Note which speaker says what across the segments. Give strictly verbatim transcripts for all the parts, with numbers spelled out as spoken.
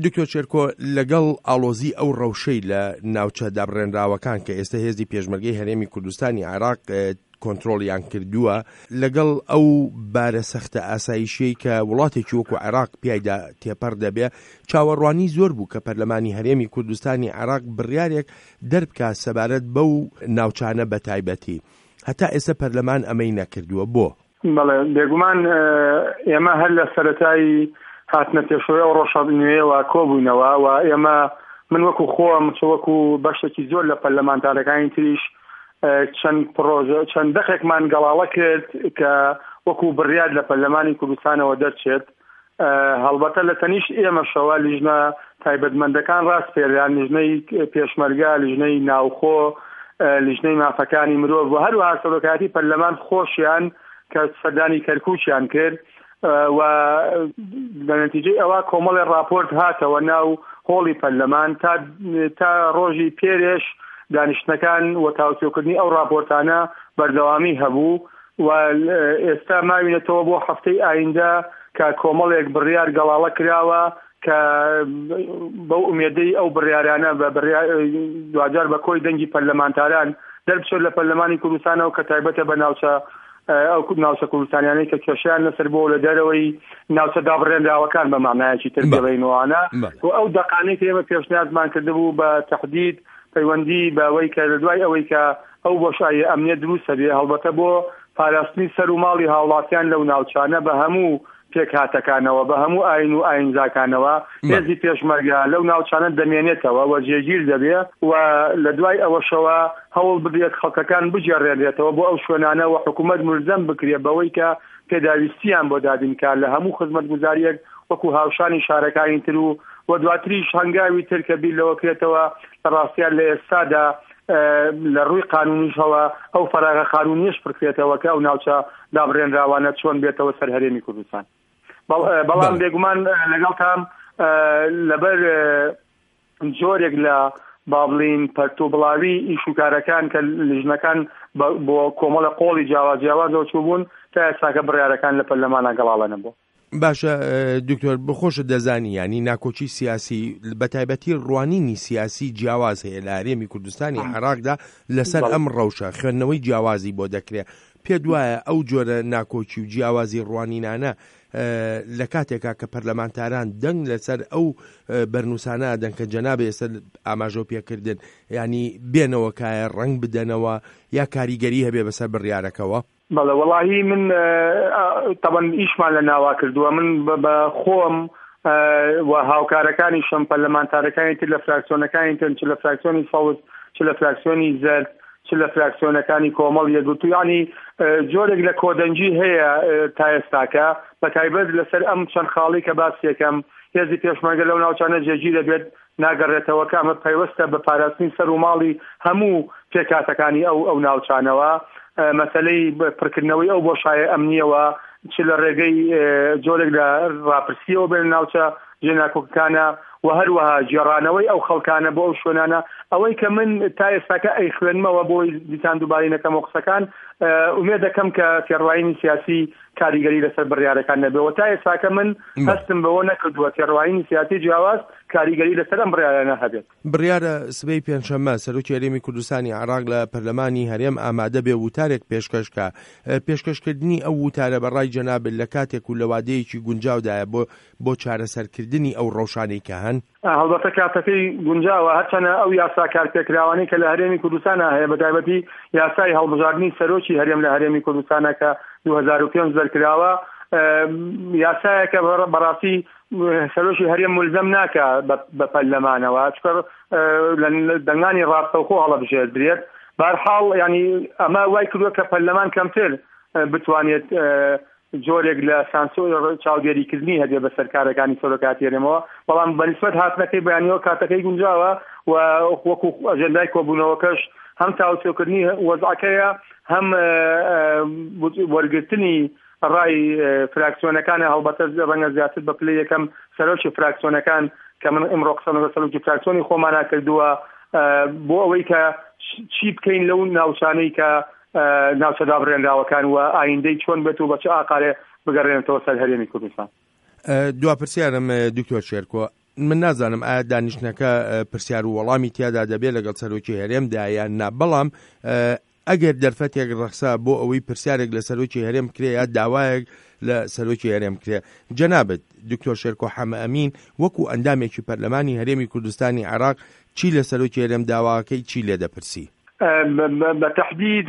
Speaker 1: دکتۆر شێرکۆ، لەگەڵ ئاڵۆزی ئەو ڕەوشەی لە ناوچە دابڕێنراوەکان کە ئێستا هێزی پێشمەرگەی هەرێمی کوردستانی عێراق کۆنترۆڵیان کردووە، لەگەڵ ئەو بارە سەختە ئاسایشیەی کە وڵاتێکی وەکو عێراق پیایدا تێپەڕ دەبێ، چاوەڕوانی زۆر بوو کە پەرلەمانی هەرێمی کوردستانی عێراق بڕیارێک دەربکات سەبارەت بەو ناوچانە بەتایبەتی. هەتا ئێستا پەرلەمان ئەمەی نەکردووە، بۆ؟
Speaker 2: بەڵێ، بێگومان ئێمە هەر لە سەرەتای هاتنە پێشەوەی ئەو ڕۆژە نوێیەوە کۆبووینەوە و ئێمە من وەکو خۆم چ وەکو بەشێکی زۆر لە پەرلەمانتارەکانی تریش چەند پرۆژە چەند دەقێکمان گەڵاڵە کرد کە وەکو بڕیار لە پەرلەمانی کوردستانەوە دەرچێت. هەڵبەتە لە تەنیشت ئێمەشەوە لیژنە تایبەتمەندەکان ڕاستپێران، لیژنەی پێشمەرگە، لیژنەی ناوخۆ، لیژنەی مافەکانی مرۆڤ و هەروەها سەرۆکایەتی پەرلەمان خۆشیان کە سەردانی کەرکووکیان کرد و لە نەتیجەی ئەوە کۆمەڵی راپۆرت هاتەوە ناو هۆڵی پەرلەمان تا تا ڕۆژی پێرێش دانیشتنەکان و تاوتوێکردنی ئەو راپۆرتانە بەردەوامی هەبوو و ئێستا ماوینەتەوە بۆ هەفتەی ئایندە کە کۆمەڵێک بڕیار گەڵاڵە کراوە کە بەو ئومێدەی ئەو بڕیارانە بە دواجار بە کۆی دەنگی پەرلەمانتاران دەربچێت لە پەرلەمانی کوردستانەوە کە تایبەتە بە ناوچە ئەو ناوچە کوردستانیانەی کە کێشیان لەسەر بۆ لە دەرەوەی ناوچە دابڕێنراوەکان بە معنایەکی تر بڵێینەوانە و ئەو دەقانەی کە ئێمە پێشنیازمان کردبوو بە تەحدید پەیوەندی بەوەی کە لە دوای ئەوەی کە ئەو بۆشایی ئەمنیە دروستە بێ، هەڵبەتە بۆ پاراستنی سەر و ماڵی هاوڵاتیان لەو ناوچانە بە هەموو پێکهاتەکانەوە، بە هەموو ئاین و ئاینزاکانەوە، هێزی پێشمەرگە لەو ناوچانە دەمێنێتەوە و جێگیر دەبێ و لە دوای ئەوەشەوە هەوڵ بدرێت خەڵکەکان بگێڕێنرێتەوە بۆ ئەو شوێنانە و حکوومەت ملزەم بکرێت بەوەی کە پێداویستیان بۆ دابینکار لە هەموو خزمەتگوزاریەک وەکو هاوشانی شارەکانی تر و و دواتریش هەنگاوی تر کە بیر لەوە کرێتەوە لە ڕاستیان لە ئێستادا لە ڕووی قانونیشەوە ئەو فەراغە قانونیش پڕکرێتەوە کە ئەو ناوچە دابڕێنراوانە چۆن بێتەوە سەر هەرێمی کوردستان. بەڵام بێگومان لەگەڵتان لەبەر جۆرێک لە بابلین پەرت و بڵاوی ئیشوکارەکان کە لیژنەکان بۆ کۆمەڵە قۆڵی جیاواز جیاوازەوە چوو بوون تا ئێستاکە بڕیارەکان لە پەرلەمانە گەڵاڵە نەبوو.
Speaker 1: باشە دکتۆر، بەخۆشت دەزانی ینی ناکۆکی سیاسی بە تایبەتی ڕوانینی سیاسی جیاواز هەیە لە هەرێمی کوردستانی عێراقدا لەسەر ئەم ڕەوشە، خوێندنەوەی جیاوازی بۆ دەکرێت. پێ دوایە ئەو جۆرە ناکۆکی و جیاوازی ڕوانینانە لە کاتێکا کە پەرلەمانتاران دەنگ لەسەر ئەو بەرنووسانە دەن کە جەنابێ ئێستا ئاماژە پێکردن، ینی بێنەوە کایە ڕەنگ بدەنەوە یا کاریگەری هەبێ بەسەر بڕیارەکەوە؟
Speaker 2: بەڵێ، وەڵاهی من تەبەن ئیشمان لە ناوا کردووە. من بە خۆم و هاوکارەکانیشم پەرلەمانتارەکانی تر لە فراکسیۆنەکانی تر، چ لە فراکسیۆنی سەوز، چ لە فراکسیۆنی زەرد، چ لە فراکسیۆنەکانی کۆمەڵ یەکگرتوو، یعنی جۆرێک لە کۆدەنگی هەیە تا ئێستاکە بە تایبەت لەسەر ئەم چەند خاڵی کە باس یەکەم هێزی پێشمەرگە لەو ناوچانە جێگیر دەبێت ناگەڕێتەوە کە ئەمە پەیوەستە بە پاراستنی سەر و ماڵی هەموو پێکهاتەکانی ئەو ئەو ناوچانەوە. مەسەلەی پڕکردنەوەی ئەو بۆشایە ئەمنیەوە چ لە ڕێگەی جۆرێک لە ڕاپرسیەوە بێن ناوچە جێناکۆکەکانە و هەروەها گێڕانەوەی ئەو خەڵکانە بۆ ئەو شوێنانە. ئەوەی کە من تا ئێستاکە ئەیخوێنمەوە بۆی دیسان دووبارەی نەکەمەوە قسەکان، ئومێد دەکەم کە تێڕوانینی سیاسی کاریگەری لەسەر بڕیارەکان نەبێەوە. تا ئێستاکە من هەستم بەوە نەکردووە تێڕوانینی سیاسی جیاواز کاریگەری لەسەر ئەم بڕیارانە هەبێت.
Speaker 1: بڕیارە سبەی پێنجشەممە سەرۆکی هەرێمی کوردستانی عێراق لە پەرلەمانی هەرێم ئامادە بێ وتارێک پێشکەش کە. پێشکەشکردنی ئەو وتارە بە ڕای جەنابت لە کاتێک و لە وادەیەکی گونجاودایە بۆ بۆ چارەسەرکردنی ئەو ڕەوشانەی کە هەن؟
Speaker 2: هەڵبەتە کاتەکەی گونجاوە، هەرچەنە ئەو یاسا کارپێکراوانەی کە لە هەرێمی کوردستانە هەیە، بە تایبەتی یاسای هەڵبژاردنی سەرۆکی هەرێم لە هەرێمی کوردستانە کە دوو هەزار و پێنج دەرکراوە، یاسایەکە بەڕاستی سەرۆکی هەرێم ملزەم ناکە بە پەرلەمانەوە، چونکە لە دەنگانی ڕاستەوخۆ هەڵەبژێردرێت. بەهەرحاڵ ینی ئەمە وای کردووە کە پەرلەمان کەمتر بتوانێت جۆرێک لە سانسۆر چاودێریکردنی هەبێ بە سەرکارەکانی سەرۆکاتی هەرێمەوە. بەڵام بەنسبەت هاتنەکەی بەیانیەوە کاتەکەی گونجاوە و وەکو ئەجەندای کۆبوونەوەکەش هەم تاوتوێکردنی وەزعەکەیە، هەم وەرگرتنی ڕای فراکسیۆنەکانە. هەڵبەتە ڕەنگە زیاتر بە پلەی یەکەم سەرۆکی فراکسیۆنەکان کە من ئیمڕۆ قسەم لەگەڵ سەرۆکی فراکسیۆنی خۆمانە کردووە بۆ ئەوەی کە چی بکەین لەو ناوچانەی کە ناوچە دابڕێنراوەکان و ئایندەی چۆن بێت و بە چ ئاقارێ بگەڕێنێتەوە سەر هەرێمی کوردستان.
Speaker 1: دوا پرسیارم دکتۆر شێرکۆ، من نازانم ئایا دانیشتنەکە پرسیار و وەڵامی تیادا دەبێت لەگەڵ سەرۆکی هەرێمدا یان نا، بەڵام ئەگەر دەرفەتێک ڕەخسا بۆ ئەوەی پرسیارێک لە سەرۆکی هەرێم بکرێ یا داوایەک لە سەرۆکی هەرێم بکرێ، جەنابت دکتۆر شێرکۆ حەمەئەمین وەکو ئەندامێکی پەرلەمانی هەرێمی کوردستانی عێراق چی لە سەرۆکی هەرێم داواکەی چی لێ دەپرسی؟
Speaker 2: بە تەحدید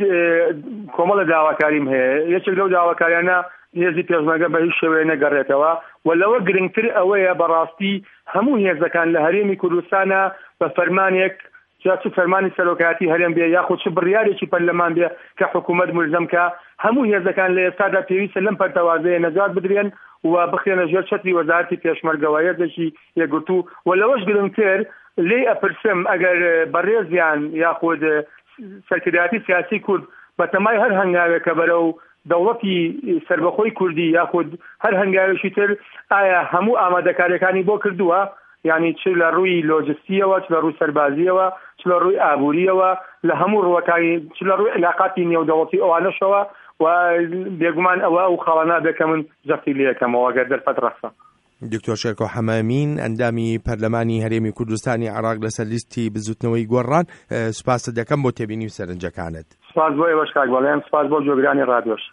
Speaker 2: کۆمەڵە داواکاریم هەیە. یەکێک لەو داواکاریانە هێزی پێشمەرگە بە هیچ شێوەیە نەگەڕێتەوە و لەوە گرنگتر ئەوەیە بەڕاستی هەموو هێزەکان لە هەرێمی کوردستانە بە فەرمانێک، جا چ فەرمانی سەرۆکایەتی هەرێم بێ یاخود چ بڕیارێکی پەرلەمان بێ کە حکوومەت ملزەم کە، هەموو هێزەکان لە ئێستادا پێویستە لەم پەرتەوازەیە نەجات بدرێن و بخرێنە ژێر چەتری وەزارەتی پێشمەرگەوە، هێزێکی یەکگرتوو. و لەوەش گرنگتر لێی ئەپرسم ئەگەر بەڕێزیان یاخود سەرکردایەتی سیاسی کورد بەتەمای هەر هەنگاوێک کە بەرەو دەوڵەتی سربەخۆی کوردی یاخود هەر هەنگاوێکی تر، ئایا هەموو ئامادەکاریەکانی بۆ کردووە؟ یعنی چ لە ڕووی لۆجستیەوە، چ لە ڕووی سەربازیەوە، چ لە ڕووی ئابووریەوە، لە هەموو ڕووەکانی، چ لە ڕووی علاقاتی نێودەوڵەتی ئەوانەشەوە. و بێگومان ئەوە ئەو خاڵانە بێ کە من جەختی لێ یەکەمەوە ئەگەر دەرفەت ڕەخسا.
Speaker 1: دکتۆر شێرکۆ حەمەئەمین، ئەندامی پەرلەمانی هەرێمی کوردستانی عێراق لەسەر لیستی بزوتنەوەی گۆڕان، سوپاست دەکەم بۆ تێبینی و سەرنجەکانت.
Speaker 2: سپاس بۆ ئێوەش کاک بەڵێن، سپاس بۆ گوێگرانی ڕادیۆش.